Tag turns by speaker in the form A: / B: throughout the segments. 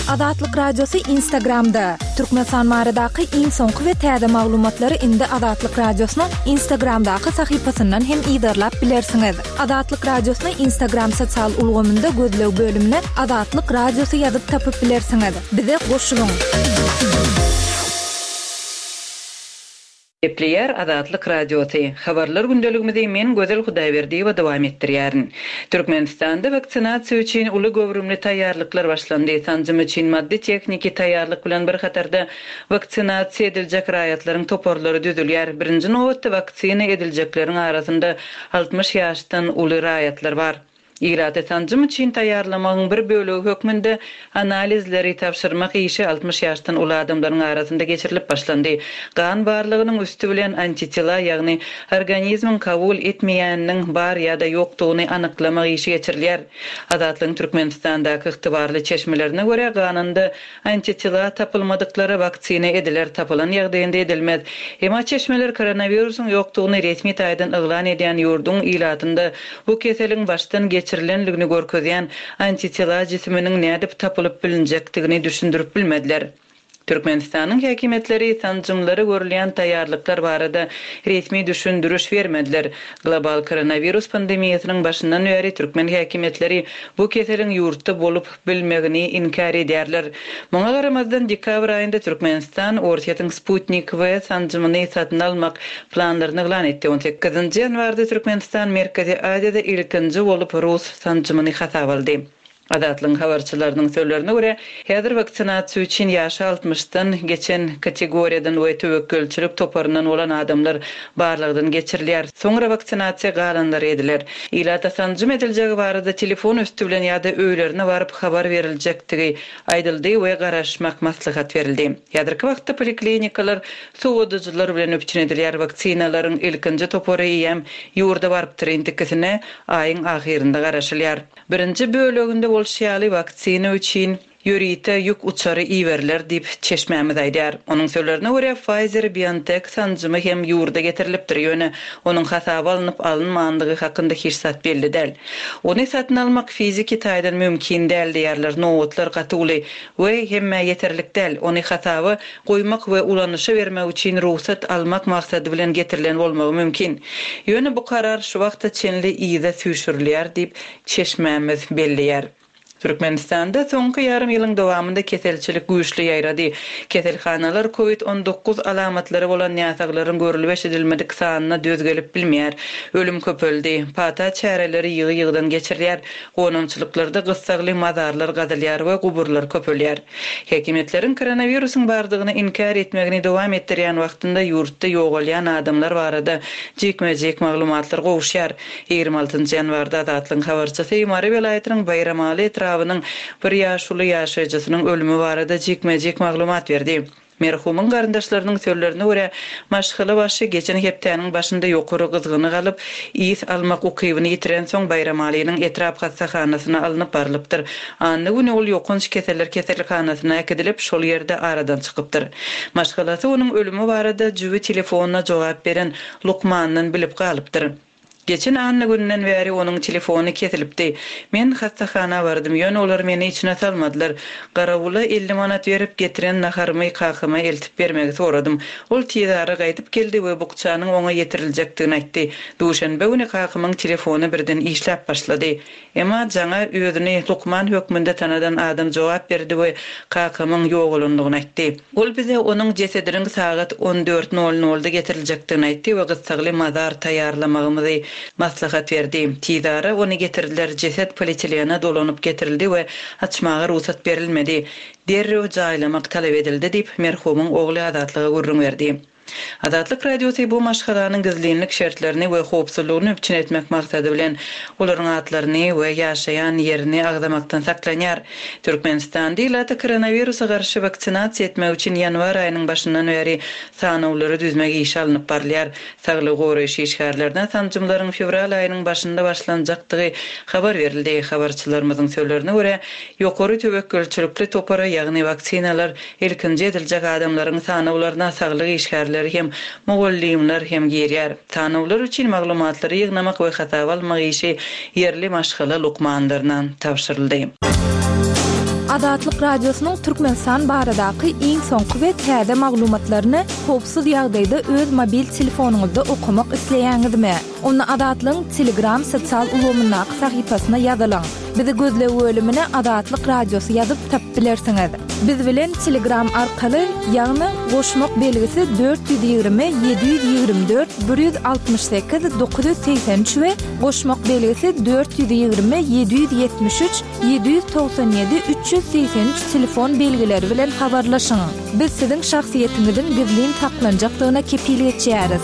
A: Azatlyk Radiosy Instagramda! Türkmenistan baradaky iň soňky we täze maglumatlary indi Azatlyk Radiosynyň Instagramdaky sahypasyndan hem yzarlap bilersiňiz. Azatlyk Radiosyny Instagram sosial ulgamynda gözleg bölümine Azatlyk Radiosy ýazyp tapyp bilersiňiz. Bize goşulyň!
B: Gepleýär Azatlyk Radiosy. Habarlar gündeligimizi men Gözel Hudaýberdiýewa dowam etdirýärin. Türkmenistanda waksinasiýa üçin uly göwrümli taýýarlyklar başlandy. Sanjym üçin maddy-tehniki taýýarlyk bilen bir hatarda waksinasiýa ediljek raýatlaryň toparlary düzülýär. Birinji nobatda waksina ediljekleriň arasynda 60 ýaşdan uly raýatlar bar. Ilaty sanjym üçin taýýarlamagyň bir bölegi hökmünde analizleri tabşyrmak işi 60 ýaşdan uly adamlaryň arasynda geçirilip başlandy. Gan barlagynyň üsti bilen antitela, ýagny organizmiň kabul etmeýäniniň bar ýa-da ýokdugyny anyklamak işi geçirilýär. Azatlygyň Türkmenistandaky ygtybarly çeşmelerine görä, ganynda Antitela tapylmadyklara waksina ediler, tapylan ýagdaýynda edilmez. Emma çeşmeler koronawirusyň ýokdugyny resmi taýdan yglan edýän ýurduň ilatynda bu keseliň başdan geçirilenligini görkezýän antitela jisiminiň nädip tapylyp bilinjekdigini düşündirip bilmediler. Türkmenistanyň häkimiýetleri sanjymlara görülýän taýýarlyklar barada resmi düşündiriş bermediler. Global koronawirus pandemiýasynyň başyndan bäri türkmen häkimiýetleri bu keseliň ýurtda bolup bilmegini inkär edýärler. Muňa garamazdan, dekabr aýynda Türkmenistan Orsýetiň Sputnik V sanjymyny satyn almak planlaryny yglan etdi. On sekizinji ýanwarda Türkmenistan Merkezi Aziýada ilkinji bolup rus sanjymyny hasaba aldy. Azatlygyň habarçylarynyň sözlerine görä, häzir waksinasiýa üçin ýaşy altmyşdan geçen kategoriýadan we töwekgelçilik toparyndan bolan adamlar barlagdan geçirilýär. Soňra waksinasiýa galanlary ediler. Ilata sanjym ediljegi barada telefon üsti bilen ýa-da öýlerine baryp habar beriljekdigi aýdyldy we garaşmak maslahat berildi. Häzirki wagtda poliklinikalar sowadyjylar bilen üpjün edilýär, waksinalaryň ilkinji topary eýýäm ýurda barypdyr, indikisine aýyň ahyrynda garaşylýar. Birinji böleginde bolşy ýaly waksina üçin Ýörite ýük uçary iberiler diýip, çeşmämiz aýdýar. Onuň sözlerine görä, Pfizer-BioNTech sanjymy hem ýurda getirilipdir, ýöne onuň hasaba alnyp alynmandygy hakynda hiç zat belli däl. Ony satyn almak fiziki taýdan mümkin däl diýýärler, nobatlar gaty uly we hemmä ýeterlik däl. Ony hasaba goýmak we ulanyşa bermek üçin rugsat almak maksady bilen getirilen bolmagy mümkin. Ýöne bu karar şu wagta çenli yza süýşürilýär diýip, çeşmämiz belleýär. Türkmenistanda soňky ýarym ýylyň dowamynda keselçilik güýçli ýaýrady. Keselhanalar Covid 19 alamatlary bolan näsaglaryň görlüp-eşidilmedik sanyna döz gelip bilmeýär. Ölüm köpeldi. Pata çäreleri ýygy-ýygydan geçirilýär. Gonamçylyklarda gyssagly mazarlar gazylýar we guburlar köpelýär. Häkimiýetleriň koronawirusyň bardygyny inkär etmegini dowam etdirýän wagtynda ýurtda ýogalýan adamlar barada jikme-jik maglumatlar gowuşýar. 26 ýanwarda Azatlygyň habarçysy Mary welaýatynyň Baýramaly etrabynyň bir ýaşuly ýaşaýjysynyň ölümi barada jikme-jik maglumat berdi. Merhumyň garyndaşlarynyň sözlerine görä, maşgala başy geçen hepdäniň başynda ýokary gyzgyny galyp, ys almak ukybyny ýitirensoň Baýramalynyň etrap hassahanasyna alnyp barlypdyr. Anna güni ol ýokanç keseller keselhanasyna äkidilip, şol ýerde aradan çykypdyr. Maşgalasy onuň ölümi barada jübi telefonyna jogap beren lukmandan bilip galypdyr. Geçen anna gününden bäri onuň telefony kesilipdi. Men hassahana bardym, ýöne olar meni içine salmadylar. Garawula 50 manat berip, getiren naharymy kakama eltip bermegi soradym. Ol tizara gaýdyp geldi we bukjanyň oňa ýetiriljekdigini aýtdy. Duşenbe güni kakamyň telefony birden işläp başlady. Emma jaňa özüni lukman hökmünde tanadan adam jogap berdi we kakamyň ýogalandygyny aýtdy. Ol bize onuň jesediniň sagat on dört nol nolda getiriljekdigini aýtdy we gyssagly mazar taýýarlamagymyzy maslahat berdi. Tizara ony getirdiler, jeset polietilene dolanyp getirildi we açmaga rugsat berilmedi. Derrew jaýlamak talap edildi diýip, merhumyň ogly Azatlyga gürrüň berdi. Azatlyk Radiosy bu maşgalanyň gizlinlik şertlerini we howpsuzlygyny üpjün etmek maksady bilen, olaryň atlaryny we ýaşaýan ýerini agzamakdan saklanýar. Türkmenistanda ilaty koronawirusa garşy waksinasiýa etmek üçin ýanwar aýynyň başyndan bäri sanawlary düzmek işi alnyp barylýar. Saglygy goraýyş işgärlerine sanjymlaryň fewral aýynyň başynda başlanjakdygy habar berildi. Habarçylarymyzyň sözlerine görä, ýokary töwekgelçilikli topara, ýagny waksinalar Ilkinji ediljek adamlaryň sanawlaryna saglyk işgärleri hem, mugallymlar hem girýär. Sanawlar üçin maglumatlary ýygnamak we hasaba almak işi ýerli maşgala lukmanlaryna tabşyryldy.
A: Azatlyk Radiosynyň Türkmenistan baradaky iň soňky we täze maglumatlaryny howpsuz ýagdaýda öz mobil telefonyňyzda okamak isleýäňizmi? Onda Azatlygyň Telegram sosial ulgamyndaky sahypasyna ýazylyň. Bizi gözleg bölümine Azatlyk Radiosy ýazyp tapyp bilersiňiz. Biz bilen Telegram arkaly, ýagny goşmak belgisi 420 724 168 983 we goşmak belgisi 420 773 797 383 telefon belgileri bilen habarlaşyň. Biz siziň şahsyýetiňiziň gizlin saklanjakdygyna kepil geçýäris.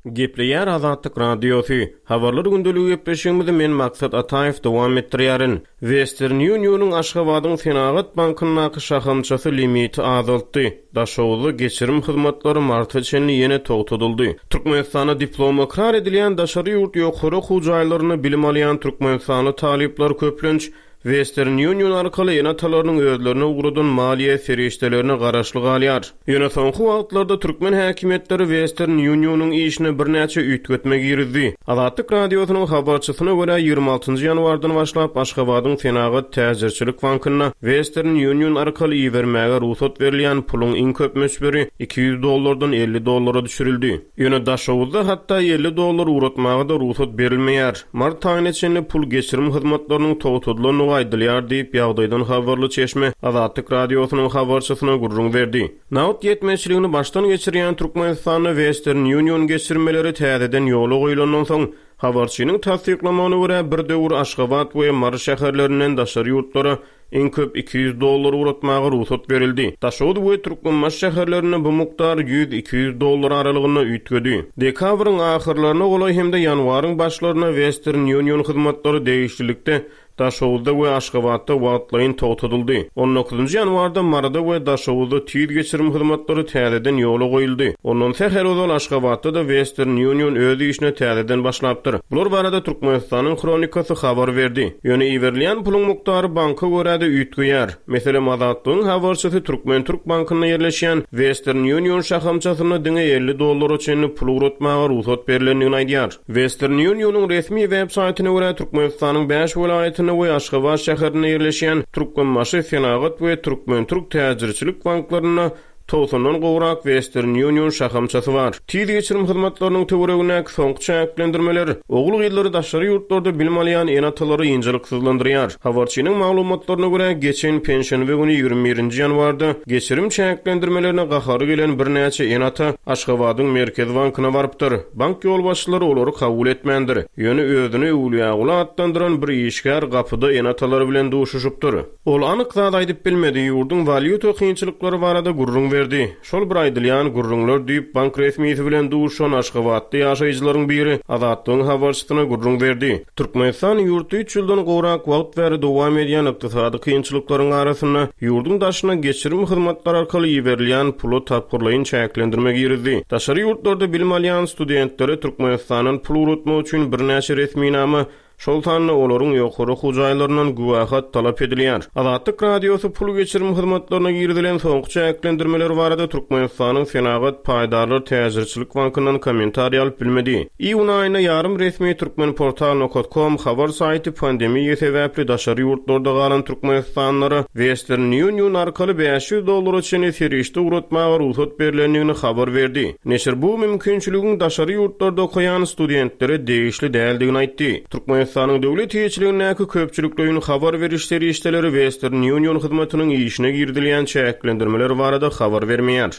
C: Gepleýär Azatlyk Radiosy. Habarlar gündeligi gepleşigimizi men Maksat Ataýew dowam etdirýärin. Western Union-yň Aşgabadyň Senagat bankyndaky şahamçasy limiti azaltdy. Daşoguzda geçirim hyzmatlary marta çenli ýene togtadyldy. Türkmenistanda diplomy ykrar edilýän daşary ýurt ýokary okuw jaýlarynda bilim alýan türkmenistanly talyplar köplenç Western Union arkaly ene-atalarynyň özlerine ugradan maliýe serişdelerine garaşly galýar. Ýöne soňky wagtlarda türkmen häkimiýetleri Western Union-yň işine birnäçe üýtgetme girizdi. Azatlyk Radiosynyň habarçysyna görä, 26 njy ýanwardan başlap Aşgabadyň Senagat täjirçilik bankynda Western Union arkaly ibermäge rugsat berilýän puluň iň köp möçberi 200 dollardan 50 dollara düşürildi. Ýöne Daşoguzda hatda 50 dollar ugratmaga-da rugsat berilmeýär. Mart aýyna çenli pul geçirim hyzmatlarynyň togtadylandygy aýdylýar diýip, ýagdaýdan habarly çeşme Azatlyk Radiosynyň habarçysyna gürrüň berdi. Nagt ýetmezçiligini başdan geçirýän Türkmenistanda Western Union geçirmeleri täzeden ýola goýlandan soň, habarçynyň tassyklamagyna görä, bir döwür Aşgabat we Mary şäherlerinden daşary ýurtlara Iň köp 200 dollar ugratmaga rugsat berildi. Daşoguz we Türkmenbaşy şäherlerinde bu mukdar ýüz-iki ýüz dollar aralygynda üýtgedi. Dekabryň ahyrlaryna golaý hem-de ýanwaryň başlarynda Western Union hyzmatlary degişlilikde Daşoguzda we Aşgabatda wagtlaýyn togtadyldy. On dokuzynjy ýanwarda Maryda we Daşoguzda tiz geçirim hyzmatlary täzeden ýola goýuldy. Ondan sähel ozal Aşgabatda-da Western Union öz işine täzeden başlapdyr. Bular barada Türkmenistanyň Hronikasy habar berdi. Ýöne iberilýän puluň mukdary banka görä-de üýtgeýär. Meselem, Azatlygyň habarçysy Türkmen-Türk bankynda ýerleşýän Western Union şahamçasynda diňe 50 dollara çenli pul ugratmaga rugsat berlendigini aýdýar. Western Union-yň resmi web saýtyna görä, Türkmenistanyň bäş welaýatynda we Aşgabat şäherinde ýerleşýän Türkmenbaşy Senagat we Türkmen-Türk täjirçilik banklarynda Togsandan gowrak Western Union şahamçasy bar. Tiz geçirim hyzmatlarynyň töweregindäki soňky çäklendirmeler ogul-gyzlary daşary ýurtlarda bilim alýan ene-atalary ynjalyksyzlandyrýar. Habarçynyň maglumatlaryna görä, geçen penşenbe güni ýigrimi birinji ýanwarda geçirim çäklendirmelerine gahary gelen birnäçe ene-ata Aşgabadyň Merkezi bankyna barypdyr. Bank ýolbaşçylary olary kabul etmändir. Ýöne özüni Öwlüýäguly atlandyran bir işgär gapyda ene-atalary bilen duşuşypdyr. Ol anyk zat aýdyp bilmedi, ýurduň walýuta kynçylyklary barada gürrüň berdi. Şol bir aýdylýan gürrüňler diýip, bank resmisi bilen duşan aşgabatly ýaşaýjylaryň biri Azatlygyň habarçysyna gürrüň berdi. Türkmenistan ýurtda üç ýyldan gowrak wagt bäri dowam edýän ykdysady kynçylyklaryň arasynda, ýurduň daşyna geçirim hyzmatlary arkaly iberilýän pula tapgyrlaýyn çäklendirme girizdi. Daşary ýurtlarda bilim alýan studentlere Türkmenistandan pul ugratmak üçin birnäçe resminama Şol sanda olaryň ýokary okuw jaýlaryndan güwähat talap edilýär. Azatlyk Radiosy pul geçirim hyzmatlaryna girizilen soňky çäklendirmeler barada Türkmenistanyň Senagat paýdarlar täjirçilik bankyndan kommentariý alyp bilmedi. Iýun aýynda ýarym resmi Turkmenportal nokat kom habar saýty pandemiýa sebäpli daşary ýurtlarda galan türkmenistanlylara Western Union arkaly 500 dollara çenli serişde ugratmaga rugsat berlendigini habar berdi. Neşir bu mümkinçiligiň daşary ýurtlarda okaýan studentlere degişli däldigini aýtdy. Türkmenistanyň döwlet eýeçiligindäki köpçülikleýin habar beriş serişdeleri Western Union hyzmatynyň işine girizilýän çäklendirmeler barada habar bermeýär.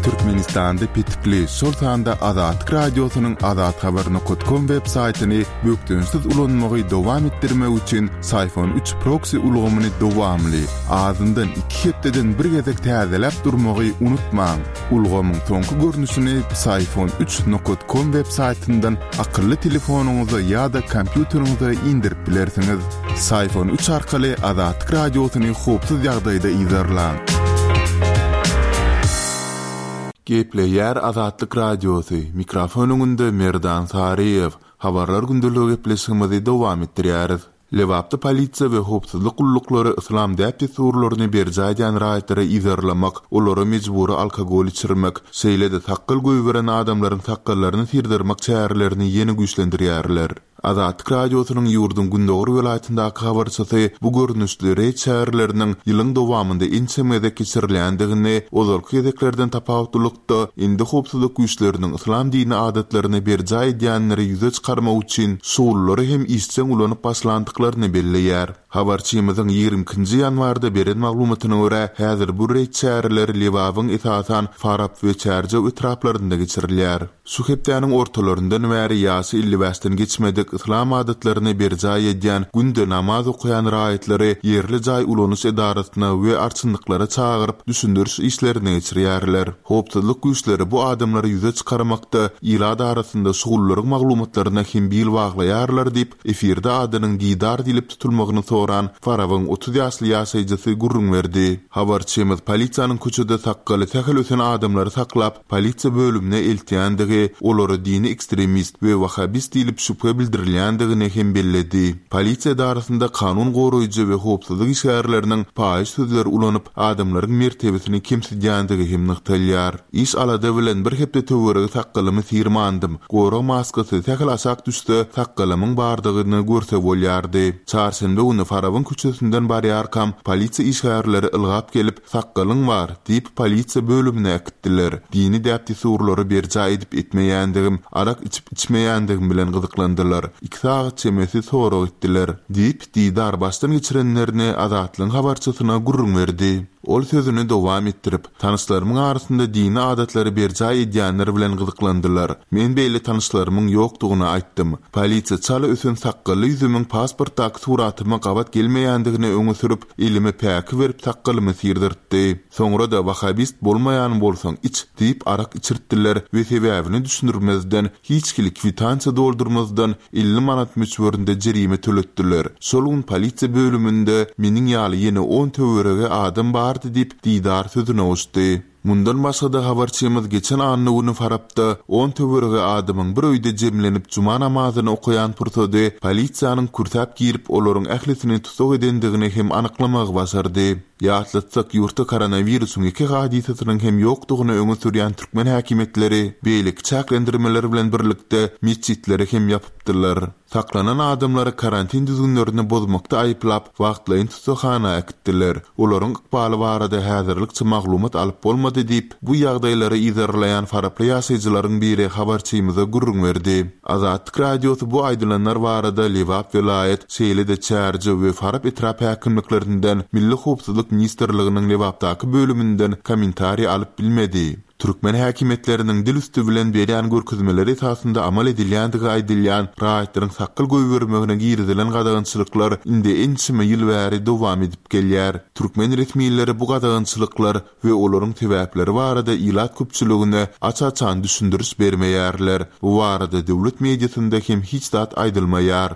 D: Türkmenistanda petikli, şol sanda Azatlyk Radiosynyň azathabar nokat kom web saýtyny bökdençsiz ulanmagy dowam etdirmek üçin Syfon üç proksi ulgamyny dowamly, azyndan iki hepdeden bir gezek täzeläp durmagy unutmaň. Ulgamyň soňky görnüşini Psiphon üç nokat kom web saýtyndan akylly telefonyňyza ýa-da kompýuteriňize indirip bilersiňiz. Psiphon üç arkaly Azatlyk Radiosyny howpsuz ýagdaýda yzarlaň. Gepleýär Azatlyk Radiosy, mikrofon öňünde Merdan Saryýew. Habarlar gündeligi gepleşigimizi dowam etdirýäris. Lebapda polisiýa we howpsuzlyk gulluklary yslam däp-dessurlaryny berjaý edýän raýatlary yzarlamak, olara mejbury alkogol içirmek, şeýle-de sakgal goýberen adamlaryň sakgallaryny syrdyrmak çärelerini ýene güýçlendirýärler. Azatlyk Radiosynyň ýurduň gündogar welaýatyndaky habarçysy bu görnüşli reýd çäreleriniň ýylyň dowamynda ençeme gezek geçirilýändigini, ozalky gezeklerden tapawutlylykda, indi howpsuzlyk güýçleriniň yslam dini adatlaryny berjaý edýänleri ýüze çykarmak üçin şugullary hem işjeň ulanyp başlandyklaryny belleýär. Habarçymyzyň 22 nji ýanwarda beren maglumatyna görä, häzir bu reýd çäreleri Lebabyň esasan Farap we Çärjew etraplarynda geçirilýär. Şu hepdäniň ortalaryndan bäri ýaşy 55-den geçmedik, yslam adatlaryny berjaý edýän, günde namaz okaýan raýatlary ýerli jaý ulanyş edarasyna we arçynlyklara çagyryp, düşündiriş işlerini geçirýärler. Howpsuzlyk güýçleri bu adamlary ýüze çykarmakda ilat arasynda şugullaryň maglumatlaryna hem bil baglaýarlar diýip, efirde adynyň Didar diýlip tutulmagyny soran Farabyň 30 ýaşly ýaşaýjysy gürrüň berdi. Habarçymyz polisiýanyň köçede sakgaly sähel ösen adamlary saklap, polisiýa bölümine eltýändigi, olara dini ekstremist we wahhabist diýlip şübhe bildirilýändigini hem belledi. Polisiýa edarasynda kanun goraýjy we howpsuzlyk işgärleriniň paýyş sözleri ulanyp, adamlaryň mertebesini kemsidýändigi hem nygtalýar. Iş-alada bilen bir hepde töweregi sakgalymy syrmandym. Gorag maskasy sähel aşak düşse, sakgalymyň bardygyny görse bolýardy. Çarşenbe güni Farabyň köçesinden barýarkam, polisiýa işgärleri ylgap gelip, Sakgalyň bar, diýip, polisiýa bölümine äkitdiler. Dini däp-dessurlary berjaý edip-etmeýändigim, arak içip-içmeýändigim bilen gyzyklandylar. Iki sagat çemesi sorag etdiler. Diýip, Didar başdan geçirenlerini Azatlygyň habarçysyna gürrüň berdi. Ol sözüni dowam etdirip, Tanyşlarymyň arasynda dini adatlary berjaý edýänler bilen gyzyklandylar. Men beýle tanyşlarymyň ýokdugyny aýtdym. Polisiýa çala ösen sakgally ýüzümiň pasportdaky suratyma gabat gelmeýändigini öňe sürüp, Elime päki berip sakgalymy syrdyrtdy. Soňra-da Wahabist bolmaýan bolsaň iç diýip arak içirtdiler we sebäbini düşündirmezden, hiç hili kwitansiýa doldurmazdan 50 manat möçberinde jerime töletdiler. Şol gün polisiýa bölüminde meniň ýaly ýene on töweregi adam bardy diýip, Didar sözüne goşdy. Mundan başga-da habarçymyz geçen anna güni Farapda on töweregi adamyň bir öýde jemlenip juma namazyny okaýan pursady polisiýanyň kürsäp girip olaryň ählisini tussag edendigini hem anyklamagy başardy. Ýatlatsak, ýurtda koronawirusyň ýeke hadysasynyň hem ýokdugyny öňe sürýän türkmen häkimiýetleri beýleki çäklendirmeler bilen birlikde metjitleri hem ýapypdylar. Saklanan adamlary karantin düzgünlerini bozmakda aýyplap, wagtlaýyn tussaghana äkitdiler. Olaryň ykbaly barada häzirlikçe maglumat alyp bolmady diýip, bu ýagdaýlary yzarlaýan faraply ýaşaýjylaryň biri habarçymyza gürrüň berdi. Azatlyk Radiosy bu aýdylanlar barada Lebap welaýat, şeýle-de Çärjew we Farap etrap häkimliklerinden, Milli howpsuzlyk ministrliginiň Lebapdaky bölüminden kommentariý alyp bilmedi. Türkmen häkimiýetleriniň dil üsti bilen berýän görkezmeleri esasynda amal edilýändigi aýdylýan raýatlaryň sakgal goýbermegine girizilen gadagançylyklar indi ençeme ýyl bäri dowam edip gelýär. Türkmen resmileri bu gadagançylyklar we olaryň sebäpleri barada ilat köpçüligine aç-açan düşündiriş bermeýärler. Bu barada döwlet mediasynda hem hiç zat aýdylmaýar.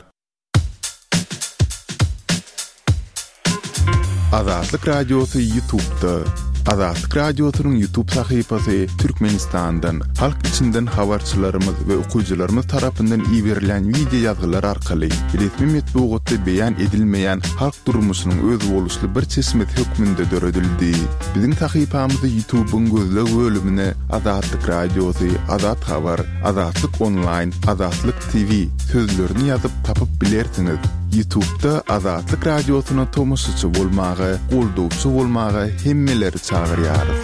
D: Azatlyk Radiosy Ýutubda. Azatlyk Radiosynyň Ýutub sahypasy Türkmenistandan, halk içinden habarçylarymyz we okyjylarymyz tarapyndan iberilýän wideo ýazgylar arkaly resmi metbugatda beýan edilmeýän halk durmuşynyň özboluşly bir çeşmesi hökmünde döredildi. Biziň sahypamyzy Ýutubyň gözleg bölümine Azatlyk Radiosy, Azat Habar, Azatlyk Onlaýn, Azatlyk TV sözlerini ýazyp tapyp bilersiňiz. Ýutubda Azatlyk Radiosyna tomaşaçy bolmaga, goldawçy bolmaga hemmeleri çagyrýarys.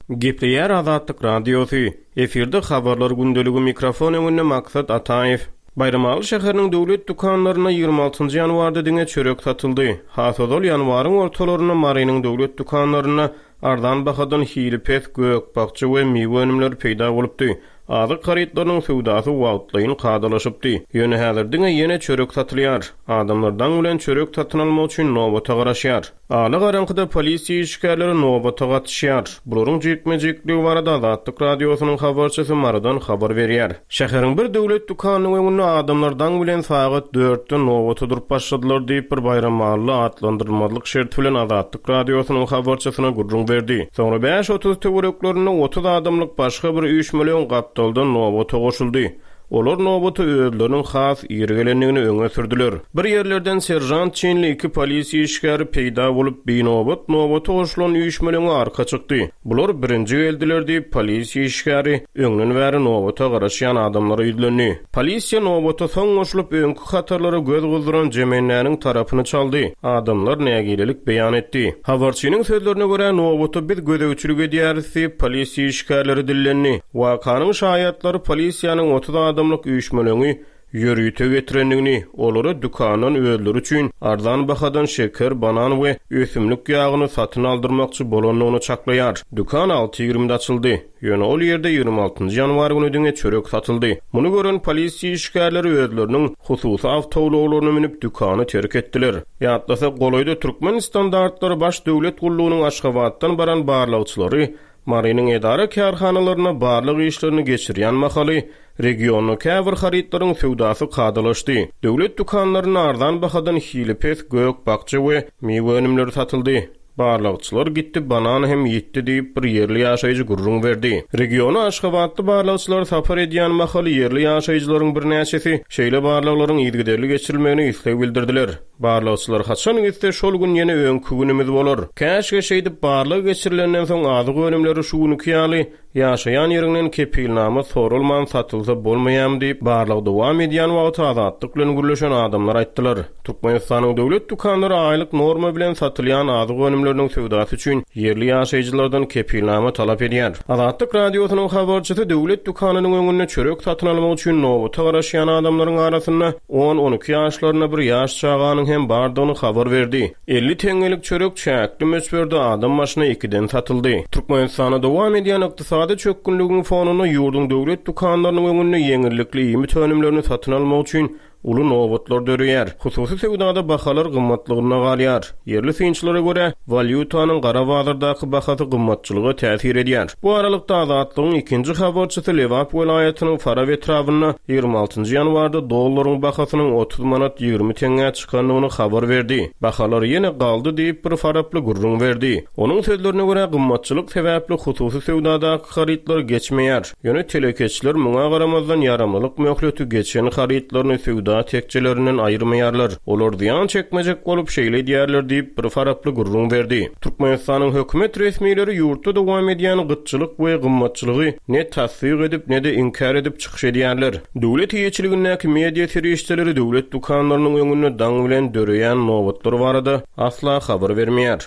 C: Gepleýär Azatlyk Radiosy. Efirde habarlar gündeligi mikrofon öňünde Maksat Ataýew. Baýramaly şäheriniň döwlet dükanlarynda 26 ýanwarda diňe çörek satyldy. Has ozal ýanwaryň ortalarynda Marynyň döwlet dükanlarynda Arzan bahadan hili pes gök-bakja we miwe önümleri peýda bolupdy. Azyk harytlarynyň söwdasy wagtlaýyn kadalaşypdy. Ýöne häzir diňe ýene çörek satylýar. Adamlar daň bilen çörek satyn almak üçin nobata garaşýar. Ala garaňkyda polisiýa işgärleri nobata gatyşýar. Bularyň jikme-jikligi barada Azatlyk Radiosynyň habarçysy Marydan habar berýär. Şäheriň bir döwlet dükanynyň öňünde adamlar daň bilen sagat dörtde nobata durup başladylar diýip, bir baýramally atlandyrylmazlyk şerti bilen Azatlyk Radiosynyň habarçysyna gürrüň berdi. Soňra 5:30 töwereklerinde 30 adamlyk başga bir üýşmeleň gapdaldan nobata goşuldy. Olar nobata özleriniň has ir gelendigini öňe sürdüler. Bir ýerlerden seržant çinli iki polisiýa işgäri peýda bolup, binobat nobata goşulan üýşmeleňe arka çykdy. Bular birinji geldiler diýip, polisiýa işgäri öňden bäri nobata garaşýan adamlara ýüzlendi. Polisiýa nobata soň goşulyp, öňki hatarlara göz gyzdyran jemendäniň tarapyny çaldy. Adamlar nägilelik beýan etdi. Habarçynyň sözlerine görä, nobata biz gözegçilik edýäris diýip, polisiýa işgärleri dillendi. Wakanyň şaýatlary polisiýanyň 30 adamlyk üýşmeleňi ýörite getirendigini, olara dükandan özleri üçin arzan bahadan şeker, banan we ösümlik ýagyny satyn aldyrmakçy bolandygyny çaklaýar. Dükan alty ýigrimide açyldy. Ýöne ol ýerde 26 njy ýanwar güni diňe çörek satyldy. Muny gören polisiýa işgärleri özleriniň hususy awtoulaglaryna münüp dükany terk etdiler. Ýatlasak, golaýda Türkmenstandartlary baş döwlet gullugynyň Aşgabatdan baran barlagçylary Marynyň edara-kärhanalarynda barlag işlerini geçirýän mahaly, regionda käbir harytlaryň söwdasy kadalaşdy. Döwlet dükanlarynda arzan bahadan hili pes gök-bakja we miwe önümleri satyldy. Barlagçylar gitdi, banan hem ýitdi diýip, bir ýerli ýaşaýjy gürrüň berdi. Regiona aşgabatly barlagçylar sapar edýän mahaly ýerli ýaşaýjylaryň birnäçesi şeýle barlaglaryň yzygiderli geçirilmegine isleg bildirdiler. Barlagçylar haçan gitse, şol gün ýene öňki günümiz bolar. Käşgä şeýdip barlag geçirilenden soň azyk önümleri şu günki ýaly, ýaşaýan ýeriňden kepilnama soralman satylsa bolmaýamy diýip, barlag dowam edýän wagty Azatlyk bilen gürleşen adamlar aýtdylar. Türkmenistanyň döwlet dükanlary aýlyk norma bilen satylýan azyk önümleriniň söwdasy üçin ýerli ýaşaýjylardan kepilnama talap edýär. Azatlyk Radiosynyň habarçysy döwlet dükanynyň öňünde çörek satyn almak üçin nobata garaşýan adamlaryň arasynda On-on iki ýaşlarynda bir ýaş çaganyň hem bardygyny habar berdi. 50 teňňelik çörek çäkli möçberde adam başyna ikiden satyldy. Türkmenistanda dowam edýän ykdysady çökgünligiň fonunda ýurduň döwlet dükanlarynyň öňünde ýeňillikli iýmit önümlerini satyn almak üçin uly nobatlar döreýär. Hususy söwdada bahalar gymmatlygyna galýar. Ýerli synçylara görä, walýutanyň gara bazardaky bahasy gymmatçylyga täsir edýär. Bu aralykda, Azatlygyň ikinji habarçysy Lebap welaýatynyň Farap etrabynda 26 nji ýanwarda dollaryň bahasynyň 30 manat 20 teňňä çykandygyny habar berdi. Bahalar ýene galdy diýip, bir faraply gürrüň berdi. Onuň sözlerine görä, gymmatçylyk sebäpli hususy söwdadaky harytlar geçmeýär. Ýöne telekeçiler muňa garamazdan ýaramlylyk möhleti geçen harytlaryny söwda tekjelerinden aýyrmaýarlar. Olar zyýan çekmejek bolup şeýle edýärler diýip, bir faraply gürrüň berdi. Türkmenistanyň hökümet resmileri ýurtda dowam edýän gytçylyk we gymmatçylygy ne tassyk edip, ne-de inkär edip çykyş edýärler. Döwlet eýeçiligindäki media serişdeleri döwlet dükanlarynyň öňünde daň bilen döreýän nobatlar barada asla habar bermeýär.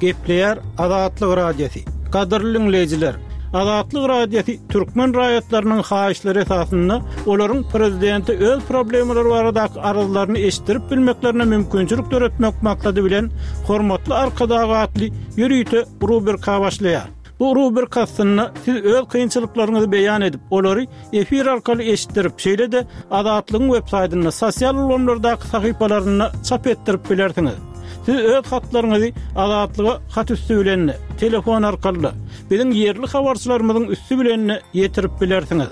E: Gepleýär Azatlyk Radiosy. Gadyrly diňleýjiler! Azatlyk Radiosy türkmen raýatlarynyň haýyşlary esasynda olaryň prezidente öz problemalary baradaky arzlaryny eşitdirip bilmeklerine mümkinçilik döretmek maksady bilen Hormatly Arkadag atly ýörite rubrika başlaýar. Bu rubrika astynda siz öz kynçylyklaryňyzy beýan edip, olary efir arkaly eşitdirip, şeýle-de Azatlygyň websaýtynda, sosial ulgamlardaky sahypalarynda çap etdirip bilersiňiz. Siz öz hatlaryňyzy Azatlyga hat üsti bilen-de, telefon arkaly-da, biziň ýerli habarçylarymyzyň üsti bilen-de ýetirip bilersiňiz.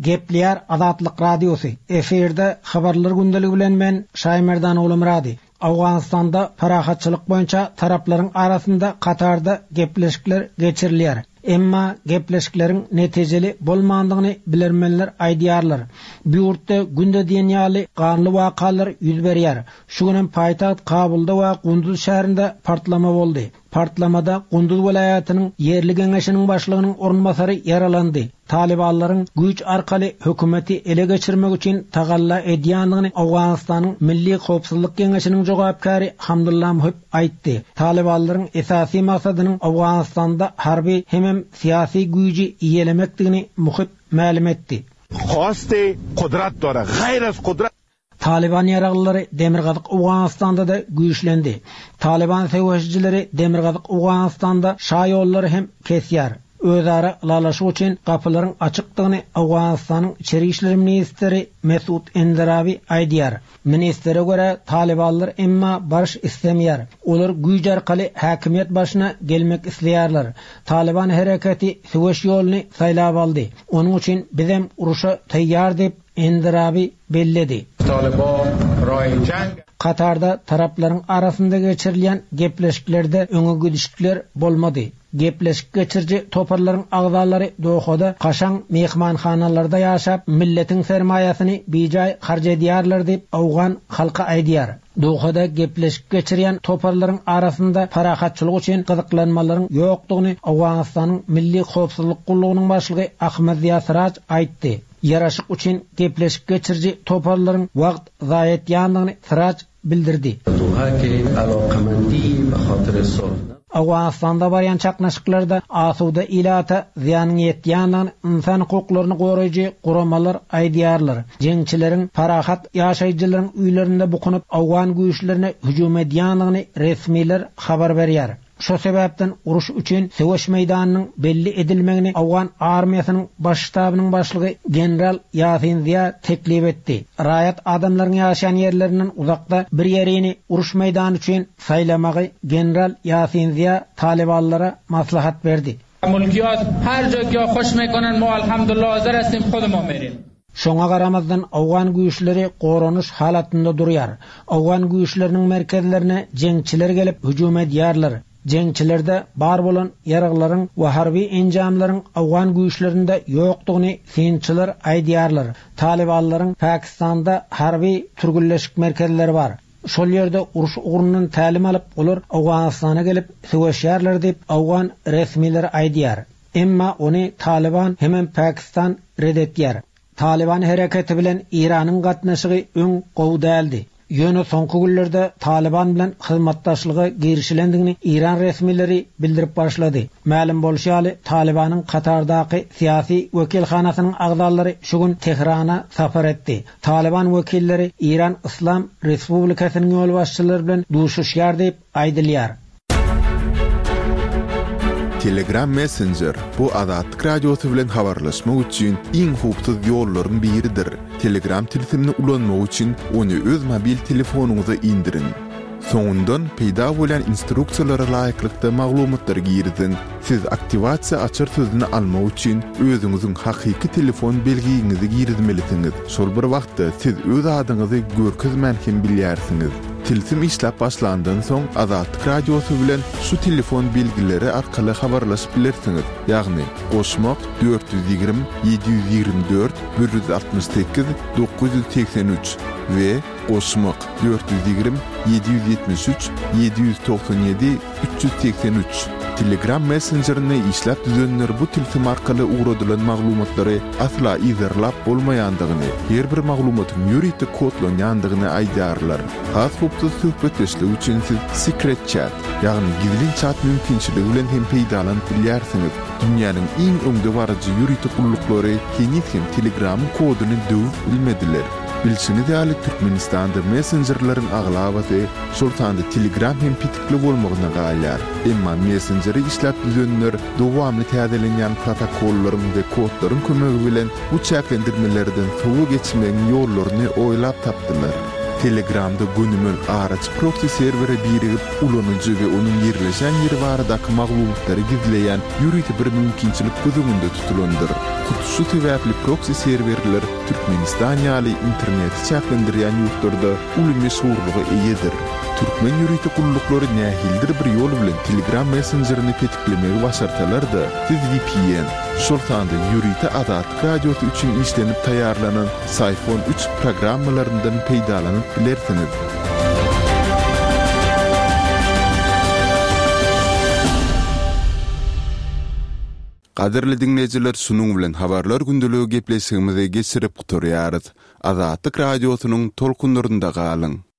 F: Gepleýär Azatlyk Radiosy, efirde Habarlar gündeligi bilen men Şaýmerdan Ogulmyrady. Owganystanda parahatçylyk boýunça taraplaryň arasynda Katarda gepleşikler geçirilýär. Emma gepleşikleriň netijeli bolmandygyny bilermenler aýdýarlar. Bu ýurtda günde diýen ýaly ganly wakalar ýüz berýär. Şu gün hem paýtagt Kabulda we Gunduz şäherinde partlama boldy. Partlamada Gunduz welaýatynyň ýerli geňeşiniň başlygynyň orunbasary ýaralandy. Talybanlaryň güýç arkaly hökümeti ele geçirmek üçin tagalla edýändigini Owganystanyň Milli howpsuzlyk geňeşiniň jogapkäri Hamdullah Muhib aýtdy. Talybanlaryň esasy maksadynyň Owganystanda harby hemem syýasy güýji eýelemekdigini Muhib mälim etdi.
G: Hosti kudrat dora, gaýr az kudrat.
F: Talyban ýaraglylary Demirgazyk Owganystanda-da güýçlendi. Talyban söweşijileri Demirgazyk Owganystanda şaýollary hem kesýär. Özara ylalaşyk üçin gapylaryň açykdygyny Owganystanyň içeri işler ministri Mesud Enderabi aýdýar. Ministre görä, talybanlar emma baryş islemeýär. Olar güýç arkaly häkimiýet başyna gelmek isleýärler. Talyban hereketi söweş ýoluny saýlap aldy. Onuň üçin bizem uruşa taýýar diýip, Enderabi belledi. Katarda taraplaryň arasynda geçirilýän gepleşiklerde öňe gidişlikler bolmady. Gepleşik geçiriji toparlaryň agzalary Dohada kaşaň myhmanhanalarda ýaşap, milletiň sermaýasyny bijaý harç edýärler diýip, owgan halky aýdýar. Dohada gepleşik geçirýän toparlaryň arasynda parahatçylyk üçin gyzyklanmalaryň ýokdugyny Owganystanyň Milli howpsuzlyk gullugynyň başlygy Ahmad Ziýa Siraj aýtdy. Ýaraşyk üçin gepleşik geçiriji toparlaryň wagt zaýa etýändigini Siraj bildirdi. Owganystanda barýan çaknyşyklarda asuda ilata zyýanyň ýetýändigini ynsan hukuklaryny goraýjy guramalar aýdýarlar. Jeňçileriň parahat ýaşaýjylaryň öýlerinde bukunyp, owgan güýçlerine hüjüm edýändigini resmiler habar berýär. Şo sebäpden uruş üçin söweş meýdanynyň belli edilmegini owgan armiýasynyň baş ştabynyň başlygy general Ýasin Ziýa teklip etdi. Raýat adamlaryň ýaşaýan ýerlerinden uzakda bir ýerini uruş meýdany üçin saýlamagy general Ýasin Ziýa talybanlara maslahat berdi. Şoňa garamazdan owgan güýçleri goranyş halatynda durýar. Owgan güýçleriniň merkezlerine jeňçiler gelip hüjüm edýärler. Jeňçilerde bar bolan ýaraglaryň we harby enjamlaryň owgan güýçlerinde ýokdugyny synçylar aýdýarlar. Talybanlaryň Pakistanda harby türgünleşik merkezleri bar. Şol ýerde uruş ugrundan tälim alyp, olar Owganystana gelip söweşýärler diýip, owgan resmileri aýdýar. Emma ony Talyban hemem Pakistan ret etýär. Talyban hereketi bilen Eýranyň gatnaşygy öň gowy däldi. Ýöne soňky günlerde Talyban bilen hyzmatdaşlyga girişilendigini Eýran resmileri bildirip başlady. Mälim bolşy ýaly, Talybanyň Katardaky syýasy wekilhanasynyň agzalary şu gün Tehrana sapar etdi. Talyban wekilleri Eýran Yslam Respublikasynyň ýolbaşçylary bilen duşuşýar diýip aýdylýar.
D: Telegram Messenger, bu Azatlyk Radiosy bilen habarlaşmak üçin iň howpsuz ýollaryň biridir. Telegram tilsimini ulanmak üçin ony öz mobil telefonyňyza indiriň. Soňundan peýda bolýan instruksiýalara laýyklykda maglumatlary giriziň. Siz aktiwasiýa açar sözüni almak üçin özüňiziň hakyky telefon belgiňizi girizmelisiňiz. Şol bir wagtda siz öz adyňyzy görkezmän hem bilýärsiňiz. Tilsim işläp başlandan soň Azatlyk Radiosy bilen şu telefon belgileri arkaly habarlaşyp bilersiňiz, ýagny, goşmak, 420 724 168 983 we goşmak, 420 773 797 383. Telegram messenjerini işläp düzenler bu tilsim arkaly ugradylan maglumatlary asla yzarlap bolmaýandygyny, her bir maglumatyň ýörite kodlanýandygyny aýdýarlar. Has howpsuz söhbetdeşlik üçin siz Secret Chat, ýagny gizlin çat mümkinçiligi bilen hem peýdalanyp bilýärsiňiz. Dünýäniň iň öňdebaryjy ýörite gulluklary heniz hem Telegramyň koduny döwüp bilmediler. Bilşiňiz ýaly, Türkmenistanda messenjerleriň aglabasy, şol sanda Telegram hem petikli bolmagyna galýar. Emma messenjeri işläp düzenler dowamly täzelenýän protokollaryň we kodlaryň kömegi bilen bu çäklendirmelerden sowa geçmegiň ýollaryny oýlap tapdylar. Telegramda gönümel araçy proksi serwere birigip, ulanyjy we onuň ýerleşen ýeri baradaky maglumatlary gizleýän ýörite bir mümkinçilik göz öňünde tutulandyr. Hut şu sebäpli proksi serwerler Türkmenistan ýaly interneti çäklendirýän ýurtlarda uly meşhurlyga eýedir. Türkmen ýörite gulluklary nähilidir bir ýol bilen Telegram messenjerini petiklemegi başarsalar-da, siz vpn, şol sanda ýörite Azatlyk Radiosy üçin işlenip taýýarlanan Syphon üç programmalaryndan peýdalanyp bilersiňiz. Gadyrly diňleýjiler şunuň bilen Habarlar gündeligi gepleşigimizi geçirip gutarýarys. Azatlyk Radiosynyň tolkunlarynda galyň!